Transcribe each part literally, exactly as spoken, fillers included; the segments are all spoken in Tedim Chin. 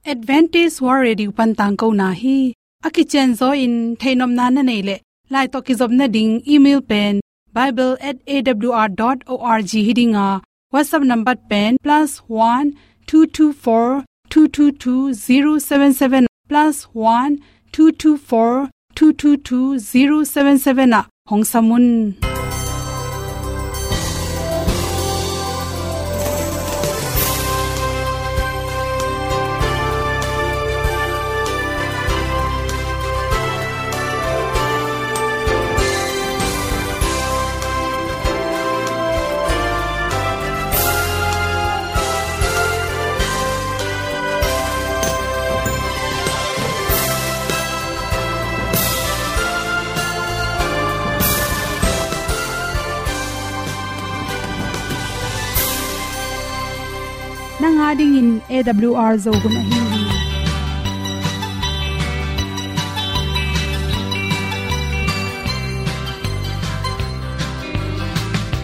Adventist World Radio pan tangkona hi. A kicianzaw in theihnopna na neih leh, lai tawh kizopna ding email pen bible at A W R dot org hi ding a, WhatsApp number pen plus one two two four two two two zero seven seven, plus one two two four two two two zero seven seven ah hong sam un. Nang a dingin A W R Zo hun ahi hi.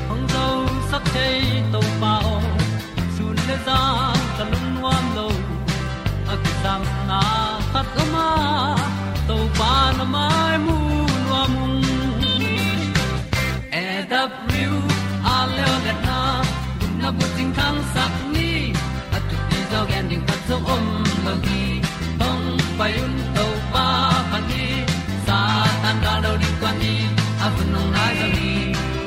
Hong zosak thei Topa aw, sun le zan ka lungnuam lo. A kisapna khat om a, Topa na mai mu nuam ung. A W R Zo hun a, gupna bucing thangsak ni, a thupi zaw gen ding khat zong om lo hi. Hong pai un Topa pan hi, Satan gal do ding kuan hi, a hun hong nai zo hi.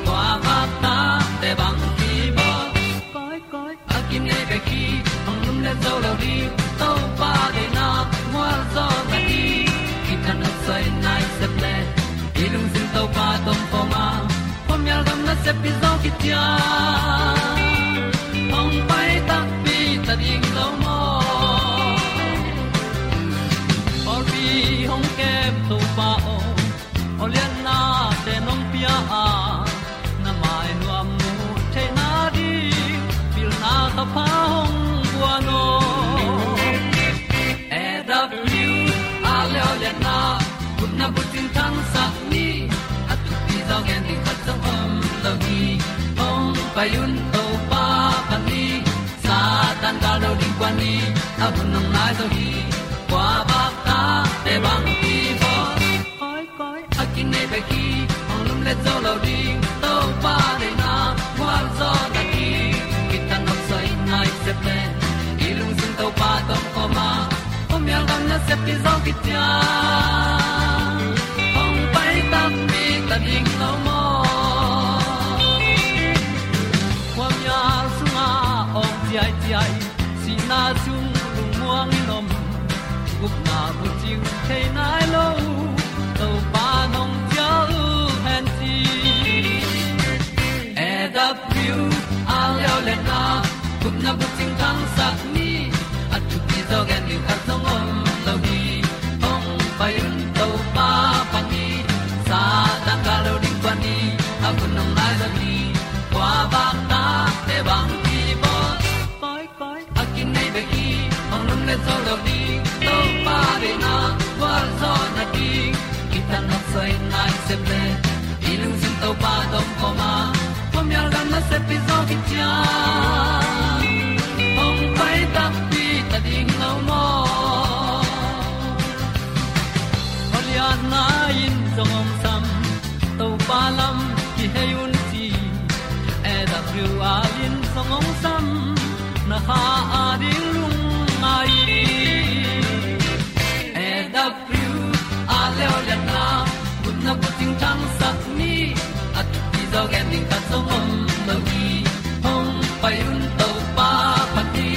Kua vak ta te bang hi bawl. Koi, koi, a kinei bek hi, hong lumlet zo lo ding, Topa deihna mual zaw na hi. Kitang a soi nai sep le, i lungsim Topa tawh kawm a, khuamial gam nasep hi zaw kician. Hong pai takpi ta ding lo maw? Pawlpi hong kem Topa aw, aw lianna te nong pia a, na mai nuam mu theihna ding, pilna ka pha hong guan aw. A W R Zo hun a, gupna bucing thangsak ni, a thupi zaw gen ding khat zong om lo hi. Hong pai un Topa pan hi, Satan gal do ding kuan hi, a hun hong nai zo hi. Kua vak ta te bang hi bawl. Koi, koi, a kinei bek hi, hong lumlet zo lo ding, Topa deihna mual zaw na hi. Kitang a soi nai sep le, i lungsim Topa tawh kawm a, khuamial gam nasep hi zaw kician. Hong pai takpi ta ding lo maw? Khuamial sungah awng ciaiciai, sihna sung lungmuang in om, gupna bucing thei nai lo, Topa nong cial hen ci. A W R Zo hun a, gupna bucing thangsak ni, a thupi zaw gen ding khat zong om lo hi. Hong pai un Topa pan hi, Satan gal do ding kuan hi, a hun hong nai zo hi. Kua vak ta te bang hi bawl. Koi, koi, a kinei bek hi, hong lumlet zo lo ding, Topa deihna mual zaw na hi. Kitang a soi nai sep le, i lungsim Topa tawh kawm a, khuamial gam nasep hi zaw kician. Hong pai takpi ta ding lo maw? Aw lianna in zong hong sam, Topa lam kihei un ci. A W R in zong hong sam, na kha a ding lungngai. A W R Zo hun a, gupna bucing thangsak ni, a thupi zaw gen ding khat zong om lo hi. Hong pai un Topa pan hi,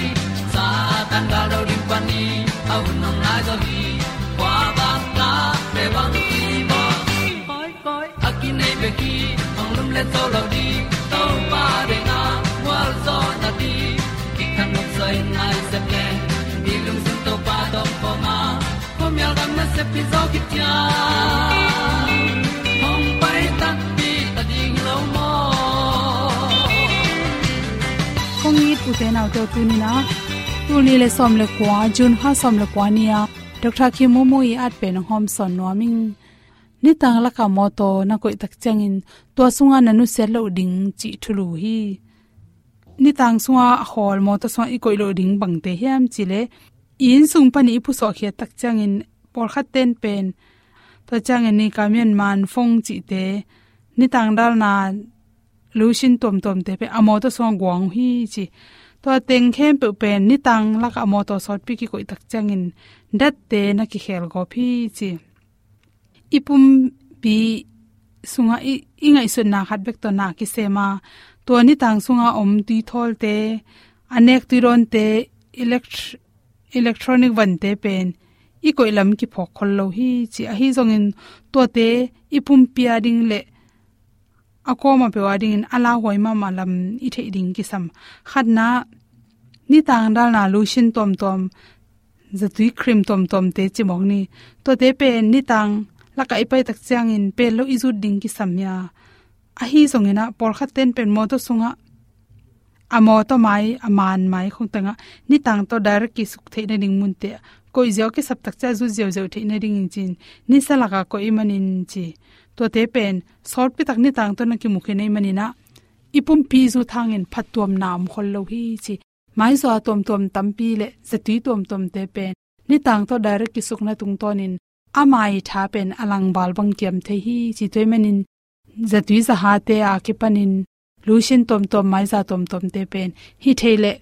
Satan gal do ding kuan hi, a hun hong nai zo hi. Kua vak ta te bang hi bawl. Koi, koi, a kinei bek hi, hong lumlet zo lo ding, Topa deihna mual zaw na hi. Kitang a soi nai sep le, i lungsim Topa tawh kawm a, khuamial gam nasep hi zaw kician. Hong pai takpi ta ding lo maw? Kong it u te nau te, tuni in a, tul nih le sawm le kua, June kha sawm le kua ni a, Doctor Kim Momo i at pen hong hawm sawn nuam ing. Nitang lakah mawtaw na koih tak ciangin tua sungah na nusiat loh ding cih thulu hi. Nitang sungah a khawl mawtaw sungah i koih loh ding bangte hiam cih leh, i inn sung panin i pusuah khiat tak ciangin pawlkhat ten pen, tua ciangin ni ka mian man fong cihte, nitang dalna lotion tuamtuamte pen a mawtaw sungah guang uh hi ci. Tua teng khempeuh pen nitang lakah a mawtaw sawtpi kikoih tak ciangin datte na kikhel gawp hi ci. I pumpi sungah i, i ngaihsutna khat bek tawh na kisem a, tua nitang sungah om tuithawlte, a nek tuidawnte, elect-, electronic vante pen i koih lam kiphawk khol lo hi ci. Ahi zongin tuate i pumpi a ding le a kawm a peuh a dingin a lauhuai mahmah lam i theih ding kisam. Khatna, nitang dalna lotion tuamtuam, zatui cream tuamtuamte cimawk ni. Tuate pen nitang lakah i pai tak ciangin pel lo i zut ding kisam hi a. Ahi zongin ah pawlkhat ten pen mawtaw sungah, a mawtaw mai, a man mai khong tengah nitang tawh direct kisuk theih nading munte ah koih ziau, kisap tak ciang zut ziauziau theih nadingin ci-in nisa lakah koih ahih manin ci. Tuate pen sawtpi tak nitang tawh na kimu khin ahih manin ah i pumpi zut hangin phattuamna om khol lo hi ci. Maizaw tuamtuam tampi le zatui tuamtuamte pen nitang tawh direct kisukna tungtawnin ama i tha pen a langval bang kiam thei hi ci. Tua ahih manin zatui zahate a kipanin lotion tuamtuam, maiza tuamtuamte pen hi thei leh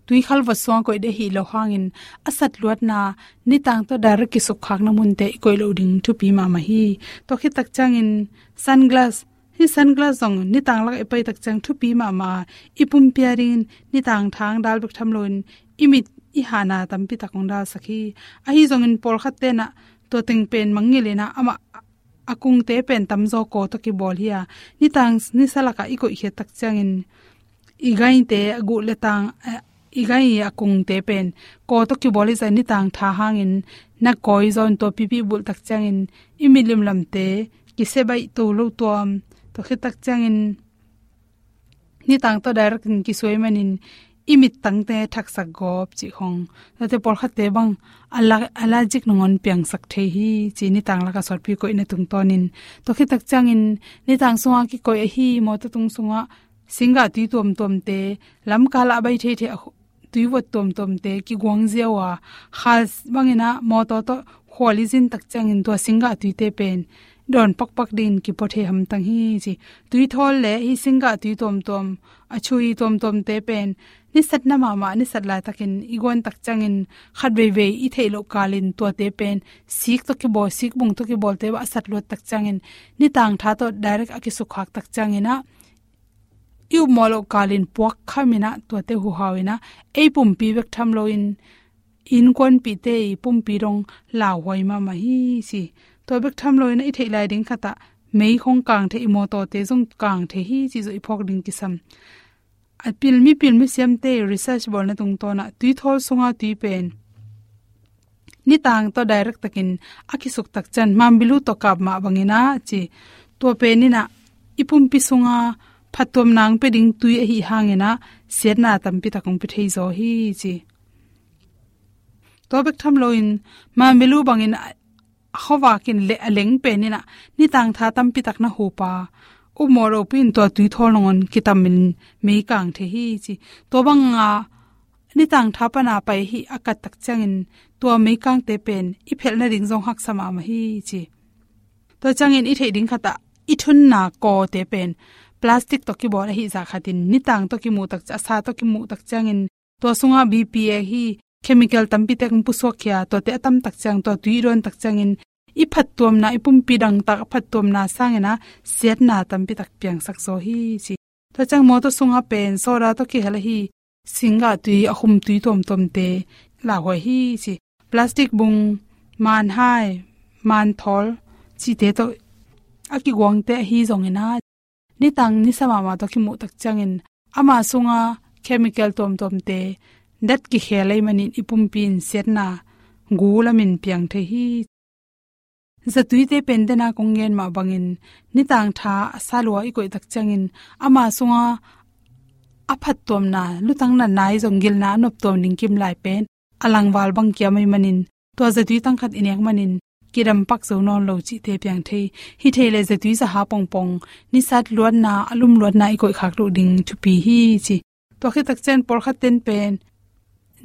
tuikhal vot sungah koih ding hi lo hangin a satluatna nitang tawh direct kisukkhakna munte i koih loh ding thupi mahmah hi. Tua khit tak ciangin sunglass, hih sunglass zong nitang lakah i pai tak ciang thupi mahmah a, i pumpi a dingin nitang tha hong dal bek tham loin i mit i hahna tampi tak hong dalsak hi. Ahi zongin pawlkhat ten ah tua teng pen mangngilh in ah amah a kungte pen tamzaw kaw tawh kibawl hi a, nitang nisa lakah i koih khiat tak ciangin i gaite a guh le tang, eh, i gai a kungte pen kaw tawh kibawl hi zah, nitang tha hangin na kawi zaw in tua pipi bulh tak ciangin i mit limlamte kisia baih to lo tuam. Tua khit tak ciangin nitang tawh direct in kisuai manin i mittangte thaksak gawp cih khong. Tuate pawlkhatte bang ala-, allergic nangawn piangsak thei hi ci, nitang lakah sawtpi koihna tungtawnin. Tua khit tak ciangin nitang sungah kikoih ahi mawtaw tung sungah singgah tui tuamtuamte, lamkal ah a bai theithei a khu-, tuivot tuamtuamte kiguang ziau a, kha bangin ah mawtaw tawh khual i zin tak ciangin tua singgah tuite pen dawn pakpak dingin kipua thei hamtang hi ci. Tuithawl le hih singgah tui tuamtuam, a chui tuamtuamte pen nisatna mahmah, nisat laitakin i guan tak ciangin khat veivei i theih loh kalin tuate pen sik tawh kibawl, sikbung tawh kibawlte bah a satluat tak ciangin nitang tha tawh direct a kisukkhak tak ciangin ah i upmawh loh kalin puak khamin ah tuate huhau in ah ei pumpi bek tham loin innkuanpihte i pumpi dong lauhuai mahmah hi ci. Tua bek tham loin ah i theih lai ding khat ah mei khong kang thei, i mawtawte zong kang thei hi cih zong i phawk ding kisam. A pil, mipil misiamte research bawlna tungtawn ah tuithawl sunga tui pen nitang tawh direct takin a kisuk tak ciang mambilu tawh kap mah bangin ah ci. Tua pen in ah i pumpi sunga phattuamna hong pia ding tui ahih hangin ah siatna tampi tak hong pia thei zaw hi ci. Tua bek tham loin mambilu bangin a, a khuavak in le a leng pen in ah nitang tha tampi tak na hup a, upmawh ropui in tua tuithawl nangawn kitamin mei kang thei hi ci. Tua banga nitang tha pana pai hi a kat tak ciangin tua meikangte pen i phelh nading zong haksa mahmah hi ci. Tua ciangin i theih ding khat ah i thunna kawte pen plastic tawh kibawl ahih zah khatin nitang tawh kimuh tak ciang, a sa tawh kimuh tak ciangin tua sungah B P A hi chemical tampi tak hong pusuak khia, tuate a tam tak ciang tua tui i dawn tak ciangin i phattuamna, i pumpi dangtak a phattuamna sangin ah siatna tampi tak piangsak zaw hi ci. Tua ciang mawtaw sungah pen soda tawh kihel ahi singgah tui, a khum tui tuamtuamte lauhuai hi ci. Plastic bung, manhai, manthawl cihte tawh a kiguangte ahi zongin ah nitang nisa mahmah tawh kimuh tak ciangin ama sunga chemical tuamtuamte dat kikhel ahih manin i pumpi in siatna gu lamin piang thei hi. Zatuite pen dena kong gen mah bangin nitang tha a sa lua i koih tak ciangin ama sunga a phattuamna, lutang natna ahi zong gilna a noptuam ding kimlai pen a langval bang kiam ahih manin tua zatui tang khat i nek manin kidam pak zo nawn lo cihte piang thei. Hi thei leh zatui zaha pongpong, nisat luatna, a lum luatna i koih khak loh ding thupi hi ci. Tua khit tak ciang pawlkhat ten pen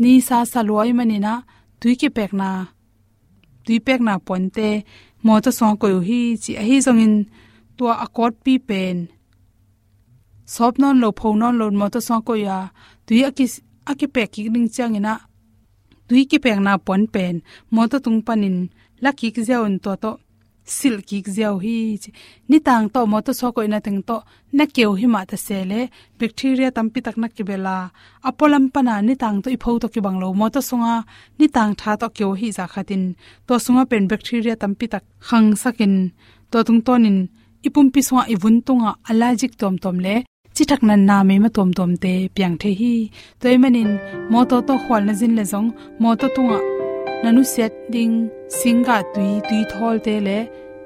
nisa sa lua ahih manin ah tui kipekna, tui pekna puante mawtaw sungah koih uh hi ci. Ahi zongin tua a kawtpi pen sawp nawn lo, pho nawn lo mawtaw sungah koih a, tui a ki, a kipek kik ding ciangin ah tui kipekna puan pen mawtaw tung panin la kik ziau in tua tawh silh kik ziau hi ci. Nitang tawh mawtaw sungah koihna teng tawh na keu hi mah ta se leh bacteria tampi tak na kibel a, a pualam pana nitang tawh i pho tawh kibang lo, mawtaw sunga nitang tha tawh keu hi zah khatin tua sunga pen bacteria tampi tak khangsakin tua tungtawnin i pumpi sungah, i vun tungah allergic tuamtuam le cithak natna meima tuamtuamte piang thei hi. Tua ahih manin mawtaw tawh khual na zin leh zong mawtaw tungah na nusiat ding singgah tui, tui thawlte le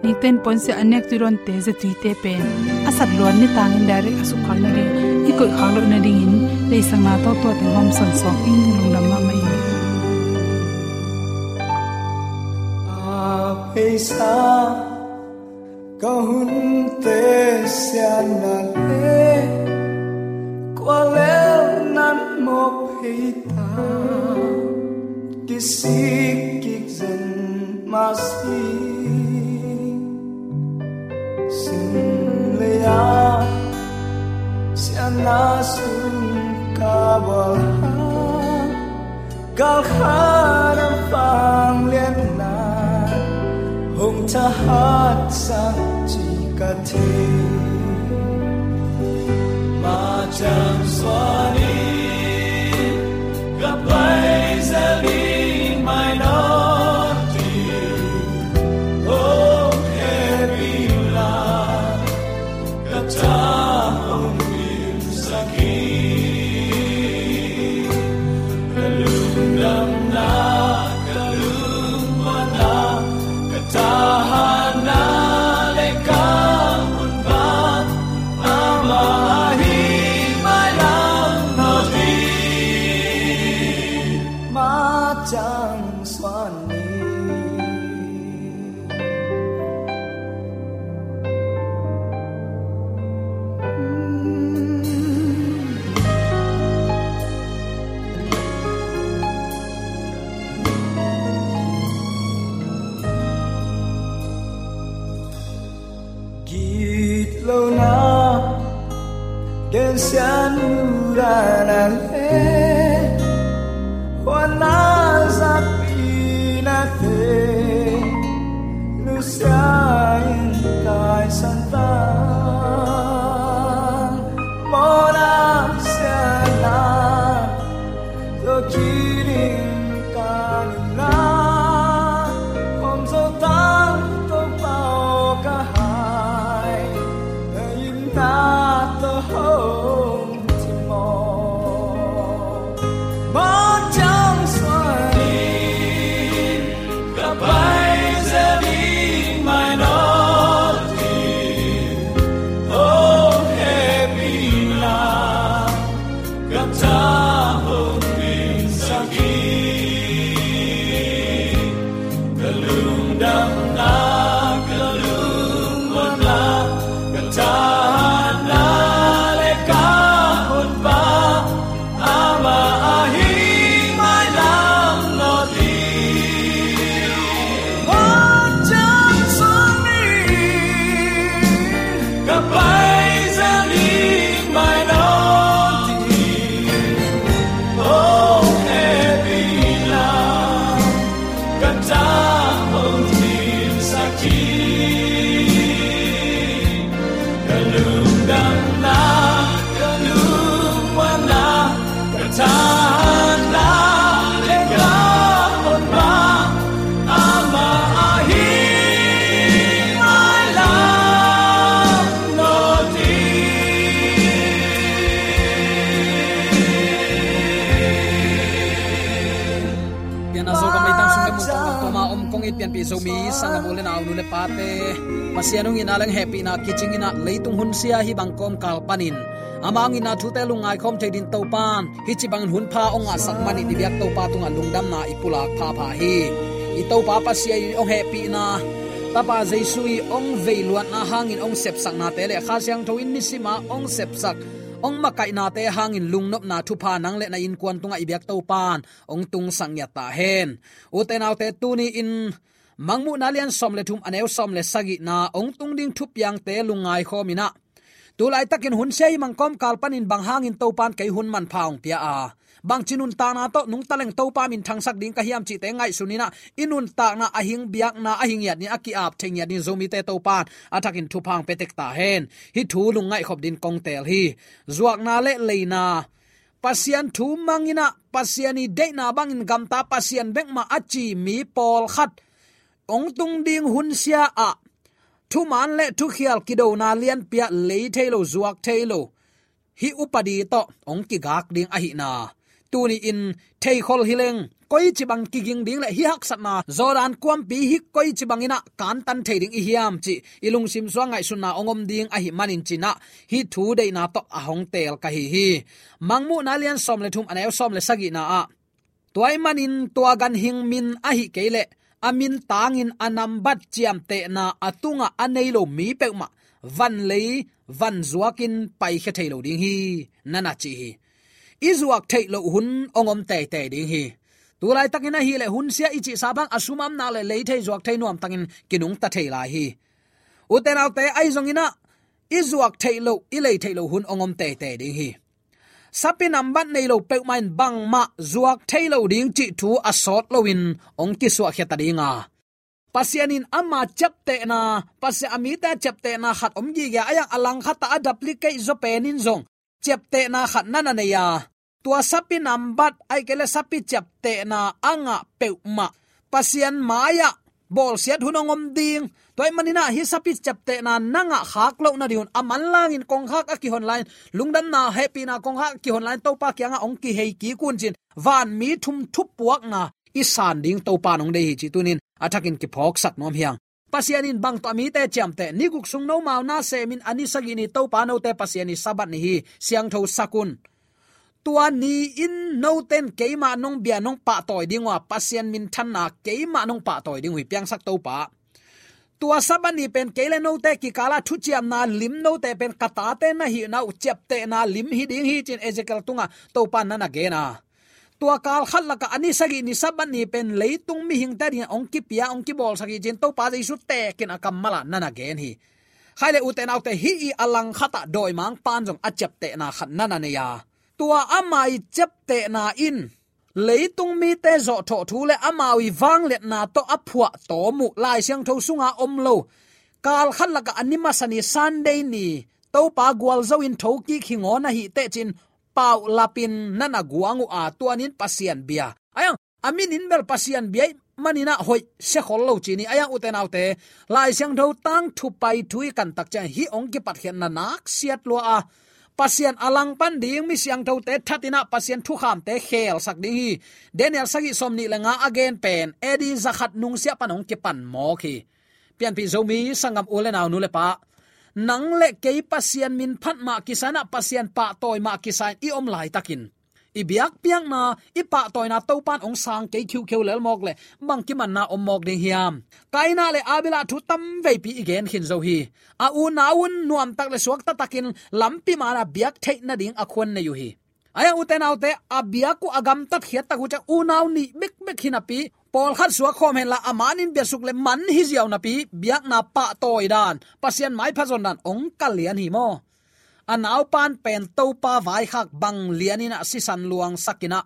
nikten puansia a nek tui dawnte, zatuite pen a sat luat nitangin direct a sukkhak nading, i koihkhak loh nadingin leisakna tawh tua teng hawmsawn sawm ing. Lungdam mahmah ing. A pheisa ka hunte siatna le kua lel nan mawk phei ta, kisik kik zen mah si. Sim lei-a siatna sum ka bual hang, galkhat a vangliatna hong thahatsak cih ka thei. Mah ciang suan in, ka pai zel ding mai nawn ding, hong hehpih in la, ka tha hong dimsak hi. Ka lungdamna, ka lungmuanna, ka tahatna le ka hunpa, amah ahi mailam nawn ding. Mah ciang suan ni. Gitlohna, gensiatna le huatna, zapi nate, nusia in taisan tang, mawhna, siatna, zo kik ding ka nunna, om zo tang Topa aw ka hai, na itna tawh hong cimawh. Mah ciang suan in, ka pai zel ding mai nawn ding, hong hehpih in la, ka tha hong dimsak hi. Ka lungdamna, ka lungmuanna, ka tahatna le ka hunpa, amah ahi mailam nawn ding. Mah ciang suan in, ka pai zel ding mai nawn ding, hong hehpih in la, ka tha hong dimsak hi. Ka lungdamna, ka lungmuanna, ka tahatna le ka honpa, amah ahi mailam nawn ding. Pianna Zogam leitang sung le mun tawh lam tawma om kong it pianpih Zomi sanggam u le nau, nu le pate, Pasian hong itna le hehpihna kicing in ah leitung hunsia hih bang kawmkal panin ama hong itna thute lungngai khawm thei dingin Topa'n hih ci bangin hunpha hong ngahsak manin i biak Topa tungah lungdamna i pulak phapha hi. I Topa Pasian i hong hehpihna, Tapa Jesu i hong veiluatna hangin hong sepsaknate le Kha Siangtho in nisim a hong sepsak hong makaihnate hangin lungnopna thupha nang le na innkuan tungah i biak Topan hong tungsak ngiat ta hen. Ute naute, tuni-in Mangmuhna lian sawm le thum, a neu sawm le sagihna, hong tung ding thupiangte lungngai khawm in ah, tu laitakin hun sia himang kawmkal panin bang hangin Topan kei hun manpha hong pia a, bangci nuntakna tawh nungta leng Topa minthangsak ding ka hiam cihte ngaihsun in ah, i nuntakna a hing, biakna a hing ngiat ni, a ki-ap thei ngiat ni, Zomite Topan a thakin thupha hong pia tek ta hen. Hih thu lungngaih khop dingin kong teel hi. Zuakna le leina, Pasian thu mang in ah, Pasian ii deihna bangin gamta, Pasian bek mah a ci mi pawlkhat hong tung ding hun sia ah thuman le thukhial, kidona lianpi ah lei thei lo, zuak thei lo, hih upadi tawh hong kigak ding ahihna tuni-in theikhol hi leng, koici bang kiging ding le hih haksatna, Jordan kuampi hih koici bangin ah kantan thei ding i hiam cih i lungsim sungah ngaihsutna hong om ding ahih manin ci-in ah, hih thu deihna tawh a hong teel ka hi hi. Mangmuhna lian sawm le thum, a neu sawm le sagihna ah, tua ahih manin tua ganhing min ahih kei leh a min tangin a nambat ciamtehna a tungah a nei lo mi peuhmah vanlei vanzuakin paikhia thei lo ding hi, na na ci hi. I zuak theih loh hun hong om teitei ding hi. Tu laitakin ahih leh hun sia i cihsa bang a sum a om nak le lei thei, zuak thei, nuamtakin kinungta thei lai hi. Ute naute, ahi zongin ah i zuak theih loh, i lei theih loh hun hong om teitei ding hi. Sapi nambat nei lo peuhmah in bangmah zuak thei lo ding cih thu a sawt loin hong kisuahkhia ta ding a, Pasian in ama ciaptehna, Pasian a mite a ciaptehna khat om gige a, a langkhat ah a duplicate zaw pen in zong ciaptehna khat na na nei a, tua sapi nambat ahih kei leh sapi ciaptehna a ngah peuhmah Pasian mai-ah bawlsiat hun hong om ding. Tua ahih manin ah hih sapi ciaptehna na ngah khak loh nading un, a manlangin kongkhak a kihon lai-in, lungdamna hehpihna kongkhak a kihon lai-in Topa kiangah hong kihei kik un ci-in, vanmi thum thupuakna i san ding Topa in hong deih hi cih tuni-in a thakin kiphawksak nuam hi hang. Pasian in bang tawh a mite ciamteh? Ni guk sung nomau na semin, a ni sagih ni Topa note Pasian ii Sabbath ni hi, siangtho sak un. Tua ni-in note in keima nong bia nong pahtawi ding uh a, Pasian minthanna keima nong pahtawi ding uh hi, piangsak Topa. Tua Sabbath ni pen kei le note kikal ah thuciamna lim, note pen ka tate na hihna uh ciaptehna lim hi ding hi ci-in Ezekiel tungah Topa in na na gen a, tua kal khat lakah a ni sagih ni Sabbath ni pen leitung mihingte adingin hong kipia, hong kibawlsak hi ci-in Topa Jesu tekin a kammal ah na na gen hi. Khai le ute naute, hih ii a langkhat ah dawimangpa in zong a ciaptehna khat na na nei a, tua ama ii ciaptehna in leitung mite zawhthawh thu le amau ii vangliatna tawh a phuahtawm uh, Lai Siangtho sunga om lo, kal khat lakah a ni masa ni Sunday ni Topa gualzo-in thokik hi ngawn ahih teh ci-in paulapin na na guang uh a, tua ni-in Pasian bia. Ahi hang a min in bel Pasian bia ahih manin ah hoih sia khol lo ci ni. Ahi hang ute naute, Lai Siangtho tangthu pai thu i kan tak ciang hih hong kipatkhiatna naksiat lua a, Pasian a langpan ding mi siangthote that in ah Pasian thukhamte khelsak ding hi. Daniel sagih sawmnih le nga a gen pen A D zakhat nungsiah pan hong kipan mawk hi. Pianpih Zomi sanggam u le nau, nu le pa, nang le kei Pasian min phat mah kisa in ah, Pasian pahtawi mah kisa in i om laitakin, i biakpiakna, i pahtawina Topa in hong sang kei khiukheu lel mawk leh bang kimanna om mawk ding hiam? Kaina le Abela thu tamveipi i gen khin zo hi. A unau un nuamtak le suakta takin lampi man ah biak theih nading a khuan nei uh hi. Ahi hang ute naute, a biak uh a gamtat khiat tak uh ciang unau nih bekbek hi napi, pawlkhat suak khawm henla a man in biasuk le man hi ziau napi, biakna pahtawi dan, Pasian maipha zon dan hong kal lian hi maw. A naupan pen Topa vaikhak bang lian in ah sisan luangsak in ah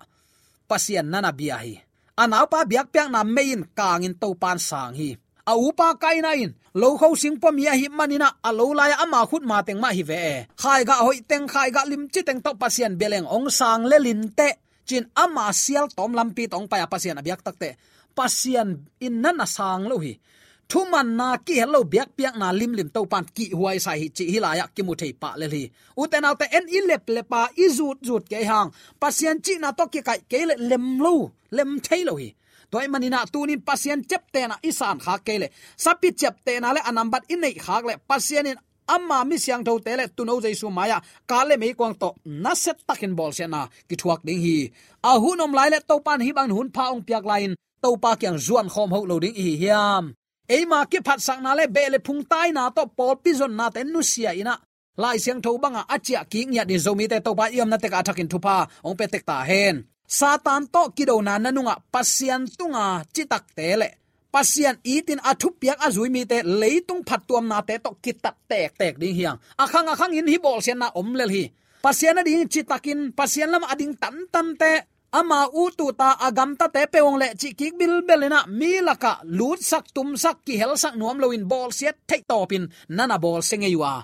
Pasian na na bia hi. A naupa biakpiakna mei in kangin Topa in sang hi. A upa Kaina in lokho singpua mi ahih manin ah a lo lai-ah ama khut mateng mah hi ve e. Khaigah hoihteng, khaigah limciteng tawh Pasian bia leng hong sang lel inteh ci-in ama sialtawm lampi tawh hong pai a, Pasian a biak takteh Pasian in na na sang lo hi. Thumanna kihel lo biakpiakna limlim Topa in kihhuaisa hi cih hih lai-ah kimu thei pah lel hi. Ute naute, en i leplep a, i zutzut kei hang, Pasian cihna tawh kikaih kei leh lem lo, lem thei lo hi. Tua ahih manin ah tuni-in Pasian ciaptehna i sankhak kei leh, sapi ciaptehna le a nambat i neihkhak leh, Pasian in ama mi siangthote le Tuuno Jesu mai-ah kal le meikuang tawh nasia takin bawlsiatna kithuak ding hi. A hun om lai leh Topa in hih bangin hun pha hong piak lai-in Topa kiang zuan khawm hoh lo ding i hi hiam? Eima kiphatsakna le beh le phungtaina tawh pawlpi zonnate nusia in ah, Lai Siangtho banga a ciah kik ngiat in Zomite Topa i omna tekah a thakin thupha hong pia tek ta hen. Satan tawh kidona na nungah Pasian tunga citakte le Pasian itin a thupiak a zui mite leitung phattuamnate tawh kitat tektek ding hi hang. A khang a khangin hih bawlsiatna om lel hi. Pasian a ding citakin Pasian lamah a ding tantante, ama ut uta a gamtate peuh hong lehcih kik bilbel inah mi lakah lutsak tumsak kihelsak nuam loin bawlsiat theih tawpin na na bawlsia ngei uh a,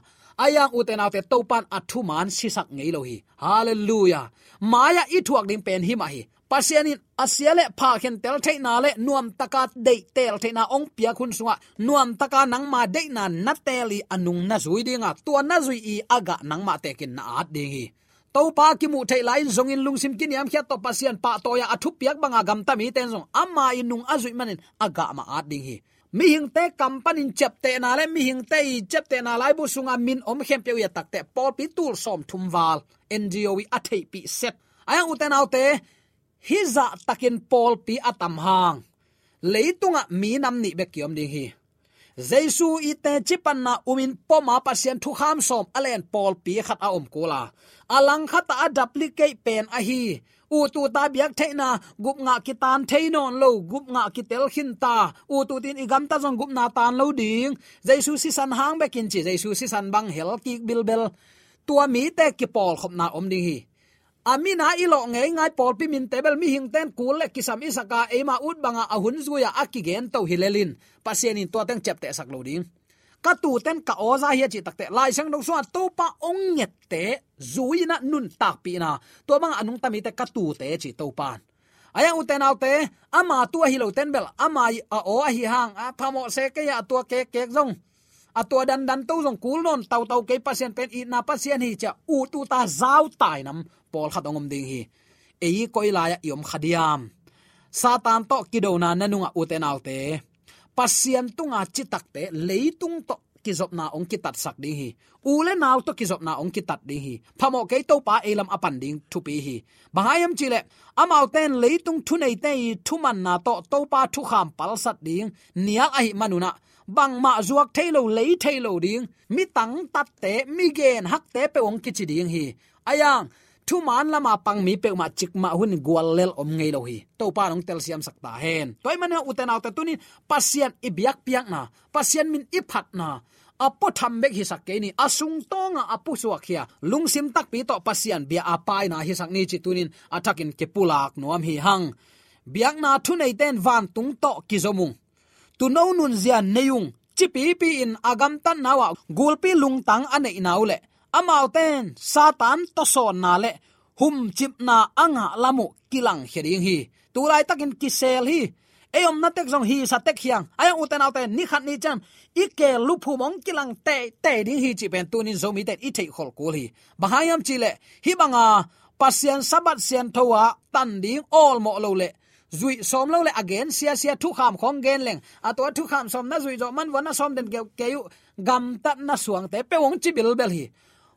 a yang ute naute Topan a thuman sisak ngei lo hi. Halleluiah. Mai-ah i thuak ding pen himah hi. Pasian in a sia le pha khentel theihna le nuamtaka deihtel theihna hong piak hun sungah nuamtaka nangma deihna na teel i a nung na zui dinga, tua na zui i a gah nangmah tekin na at ding hi. Topa kimuh theih lai-in zongin lungsim kiniamkhiat tawh Pasian pahtawi-a a thupiak banga gamta mite in zong ama i nung a zuih manin a gah mah at ding hi. Mihingte kam panin ciaptehna le mihingte i ciaptehna laibu sunga min om khempeuh i a takteh pawlpi tul sawmthum val N G O i a theihpih set. A yang ute naute, hih zahtakin pawlpi a tam hang leitungah mi nam nih bek kiom ding hi. Jesu i teci panna umin poma Pasian thukham sawm a len pawlpi khat a om kul a, a langkhatah a duplicate pen ahi ut uta biak theihna, gupngah kitan thei nawn lo, gupngah kitel khinta, ut utin i gamta zong gupna tan lo ding, Jesu sisan hang bekin ci, Jesu sisan bang hel kik bilbel. Tua mite kipawlkhopna om ding hi. A mina i lawh ngeingai pawlpi minte bel mihingten kul le kisam i saka eima ut banga a hun zui-a a kigento hi lelin Pasian in tua teng ciaptehsak lo ding. Ka tuten ka aw za hi a cih takteh Lai Siangtho sungah Topa hong ngette zui-inah nuntakpihna, tua bangah a nungta mite ka tute ci Topan. A yang ute naute, ama tu ahi loten bel ama a aw ahi hang a phamawh se kei a, a tua kekkek zong, a tua dandan to zong kul nawn tautau kei, Pasian pen itna Pasian hi ciah ut uta zautai nam pawlkhat hong om ding hi. Ei koi lai-ah i om kha diam? Satan tawh kidona na nungah ute naute, Pasian tunga citakte leitung tawh kizopna hong kitatsak ding hi. U le nau tawh kizopna hong kitat ding hi. Phamawh kei, Topa ei lam a pan ding thupi hi. Bang hang hiam cihleh amaute in leitung thuneite i thumanna tawh Topa thukham palsat ding nial ahih manunah bangmah zuak thei lo, lei thei lo ding, mi tangtatte, mi genhakte peuh hong kici ding hi. A yang thuman lama pang mi peuhmah cikmah hun guallel om ngei lo hi. Topa in hong telsiamsak ta hen. Tua ahih manin ute naute, tunin Pasian i biakpiakna, Pasian min i phatna a puatham bek hisak kei ni, a sungtawngah a pusuakkhia lungsim takpi tawh Pasian bia a paina hisak ni cih tunin a thakin kipulak nuam hi hang. Biakna thuneite in vantung tawh kizom ung, tuuno nunzia nei ung, cipipi-in a gamtatna uh ah gulpi lungtang a neihna uh le amaute in Satan tawsawnna le humcipna a ngah lam uh kilangkhia ding hi. Tulaitakin kisel hi. Ei omna tek zong hisa tek hi hang. A yang ute naute, ni khat ni ciang i keel luphum hong kilang teitei ding hi cih pen tunin Zomite in i theihkholh kul hi. Bang hang hiam cihleh hih banga Pasian Sabbath siangtho ah tan ding awlmawh lo le zuih sawm lo le a gen siasia thukham khawng gen leng, a tua thukham sawm na zuih zawh man vua na sawm den keuh kei uh, gamtatna suangte peuh hong ci bilbel hi.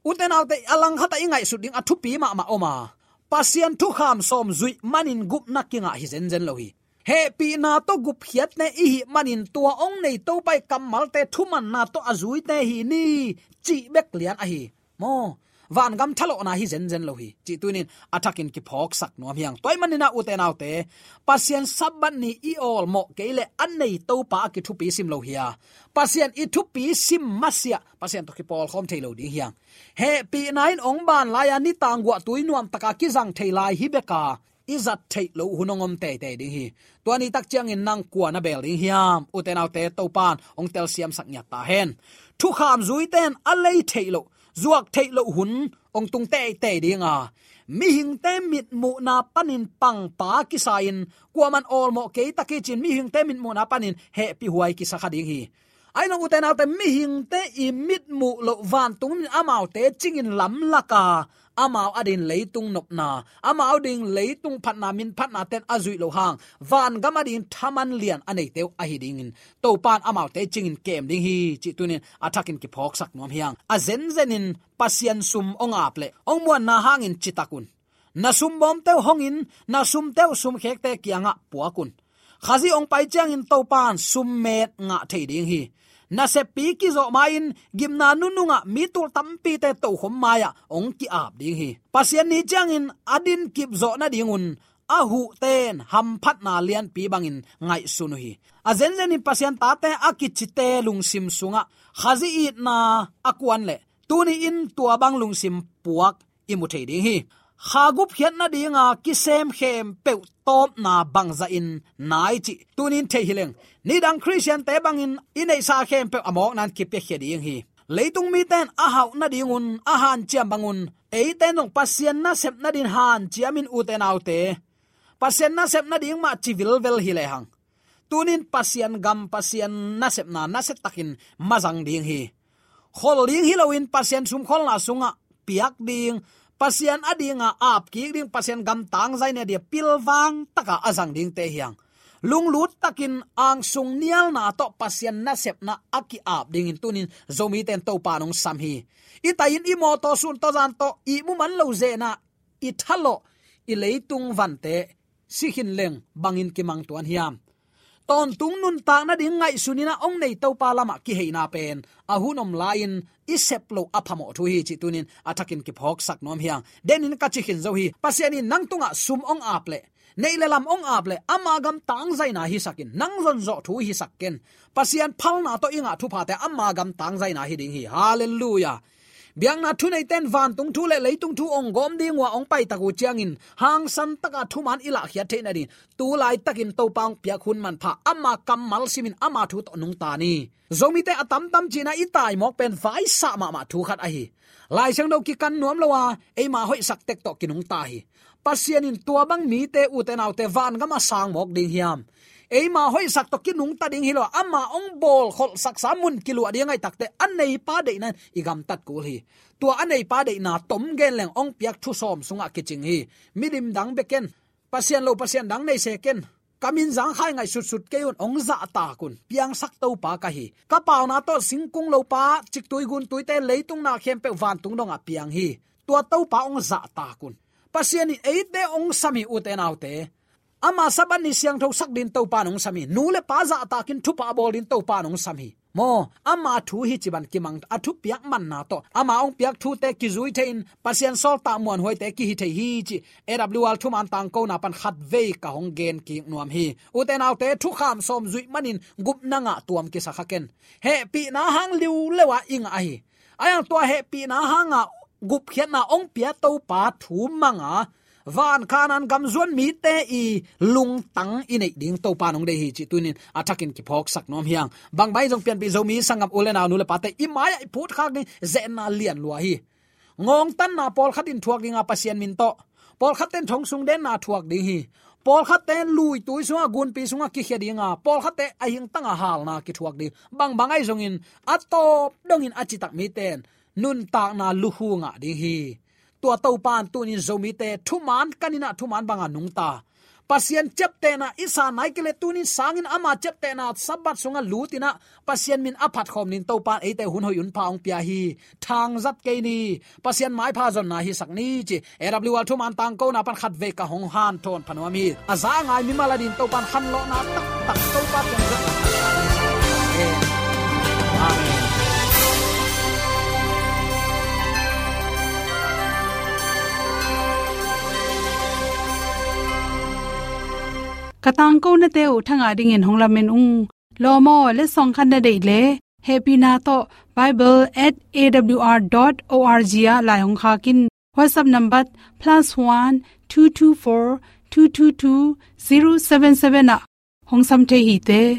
Ute naute, a langkhatah i ngaihsut ding a thupi mahmah om a, Pasian thukham sawm zuih manin gupna kingah hi zenzen lo hi. Hehpihna tawh gupkhiatna i hih manin tua hong nei Topa i kammalte thumanna tawh a zuite hi ni cih bek lian ahi. Maw, vangam thalawhna hi zenzen lo hi cih tunin a thakin kiphawksak nuam hi hang. Tua ahih manin ah ute naute, Pasian Sabbath ni i awlmawh kei le a nei Topa a kithupi sim lo hi a, Pasian i thupi sim masiah Pasian tawh kipawlkhawm thei lo ding hi hang. Hehpihna in hong ban lai-a nitang guahtui nuamtaka kizang thei lai hi beka i zat theih loh hun hong om teitei ding hi. Tua ni tak ciangin nang kua na bel ding hiam? Ute naute, Topan hong telsiamsak ngiat ta hen. Thukham zuite in a lei theih loh, zuak theih loh hun hong tung teitei ding a, mihingte mitmuhna panin pangpa kisa-in kuaman awlmawh kei tak hi cin mihingte mitmuhna panin hehpihhuai kisa kha ding hi. Ahi zong ute naute, mihingte i mitmuh loh vantung in amaute cingin lamlaka amau adingin leitung nopna, amau dingin leitung phatna, min phatna ten a zuih loh hang vangam adingin thaman lian a neite uh ahi dingin Topan amaute cingin kem ding hi cih tunin a thakin kiphawksak nuam hi hang. A zenzenin Pasian sum hong ap le hong muanna hangin citak un. Na sumbawmte uh hong in, na sumte uh sumkhekte kiangah puak un. Khazih hong pai ciangin Topan summet ngah thei ding hi. Naseppi kizawh ma-in gimna nunungah mi tul tampite tokhom mai-ah hong ki-ap ding hi. Pasian ni ciangin a dinkip zawh nadingun a huhten hamphatna lianpi bangin ngaihsun uh hi. A zenzenin Pasian tate a kicite lungsim sungah Khazih itna a kuan leh tuni-in tua bang lungsim puak i mu thei ding hi. Kha gupkhiat nadinga kisem khempeuh tawpna bangzahin nai cih tuni-in thei hi leng, nidang Khristiante bangin i neihsa khempeuh a mawkna-in kipiakhia ding hi. Leitung mite in a hauh nadingun a hanciam bangun eite in zong Pasian nasep nading hanciamin, ute naute, Pasian nasep nading mah ci vilvel hi lehang, tuni-in Pasian gam, Pasian nasepna nasiatakin mazang ding hi. Khol ding hi loin Pasian sumkholna sungah piak ding, Pasian a dinga apkik ding, Pasian gam tangzaina dia pilvang taka a zang dingte hi hang. Lunglut takin angsung nialna tawh Pasian nasepna a ki-ap dingin tuni-in Zomite in Topa in hong sam hi. I tai-in i mawtaw sun tawh zan tawh ihmu man lo zenah i thalawh, i leitung vante si khin leng bangin kimang tuan hiam? Tawntung nuntak nading ngaihsun in a hong nei Topa lamah kiheina pen a hun om lai-in i sep loh a phamawh thu hi cih tuni-in a thakin kiphawksak nuam hi hang. Denin ka ci khin zo hi. Pasian in nang tungah sum hong ap leh, neih le lam hong ap leh, ama gam tangzaina hisak in, nang zonzawh thu hisak ken. Pasian phalna tawh i ngah thuphate ama gam tangzaina hi ding hi. Halleluiah. Biakna thuneite in vantung thu le leitung thu hong gawm ding uh a hong paitak uh ciangin hangsan taka thuman i lahkhiat theih nading tu laitakin Topa hong piak hun manpha, ama kammal simin ama thu tawh nungta ni. Zomite a tamtam cihna i taimawk pen vaisah mahmah thu khat ahi. Lai Siangtho kikan nuam lo a, eima hoihsak tek tawh kinungta hi. Pasian in tua bang mite, ute naute, vangam a sang mawk ding hiam? Eima hoihsak tawh kinungta ding hi lo a, ama hong bawlkholhsaksa mun kiluah ding a ngaihtakte a neipa deihna in i gamtat kul hi. Tua a neipa deihna tom gen leng hong piak thu sawm sungah kicing hi. Milim dang bek ken, Pasian lo Pasian dang nei se ken, ka min zangkhai ngaih sutsut kei un, hong zahtak un, piangsak Topa ka hi. Ka pauna tawh singkung lopa, ciktui guntuite, leitung na khempeuh vantung dongah piang hi. Tua Topa hong zahtak un. Pasian in eite hong sam hi, ute naute. Ama Sabbath ni siangtho sak ding Topa in hong sam hi. Nu le pa zahtakin thupha bawl ding Topa in hong sam hi. Maw, ama thu hi ci bang kimang, a thupiak manna tawh ama hong piak thute kizui thei-in Pasian sawltak muanhuaite kihi thei hi cih A W R thuman tangkona pan khatvei ka hong gen kik nuam hi. Ute naute, thukham sawm zuih manin gupna ngah tuam kisa kha ken. Hehpihna hang liuleu-a i ngah ahi. A yang tua hehpihna hanga gupkhiatna hong pia Topa thu manga van Kanaan gam zuan mite i lungtang i neih ding Topa in hong deih hi cih tuni-in a thakin kiphawksak nuam hi hang. Bangbang zong pianpih Zomi sanggam u le nau, nu le pate, i mai-ah i phutkhak ding zetna lianlua hi. Ngawngtanna pawlkhat in thuak dinga Pasian min tawh, pawlkhatte in thong sung denna thuak ding hi. Pawlkhatte luitui sungah, gunpi sungah kikhia dinga, pawlkhatte a hingtanga halna kithuak ding. Bangbang ahi zongin a tawp dongin a citak mite in nuntakna lukhu ngah ding hi. Tua Topa in tuni-in Zomite thuman kan in ah thuman banga nungta, Pasian ciaptehna i san nai kei leh tuni-in sangin ama ciaptehna Sabbath sungah lut in ah Pasian min a phatkhawm ding Topa in eite hun hoih hun pha hong pia hi. Thangzat kei ni. Pasian maipha zonna hisak ni ci A W R thuman tangkona pan khatvei ka hong hanthawn pha nuam hi. A za a ngai mimal adingin Topa in khanlawhna taktak Topa piang zat. Amen. Ka tangkonate uh thangah dingin hong lamen ung. Lawm aw, letsong khat na deih leh, hehpihna tawh bible at A W R dot O R G ah lai hong khak in. WhatsApp number plus one two two four two two two zero seven seven ah hong sam thei hi te.